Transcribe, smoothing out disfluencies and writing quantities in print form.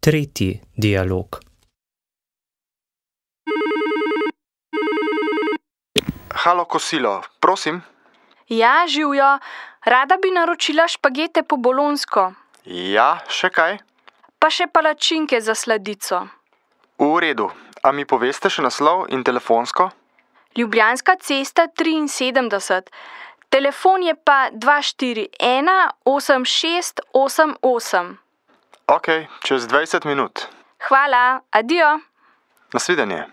Tretji dialog. Halo, kosilo, prosim. Ja, živjo. Rada bi naročila špagete po bolonsko, Ja, še kaj? pa še palačinke za sladico. V redu. A mi poveste še naslov in telefonsko? Ljubljanska cesta 73. Telefon je pa 241 8688. Ok, čez 20 minut. Hvala, adijo. Nasvidenje.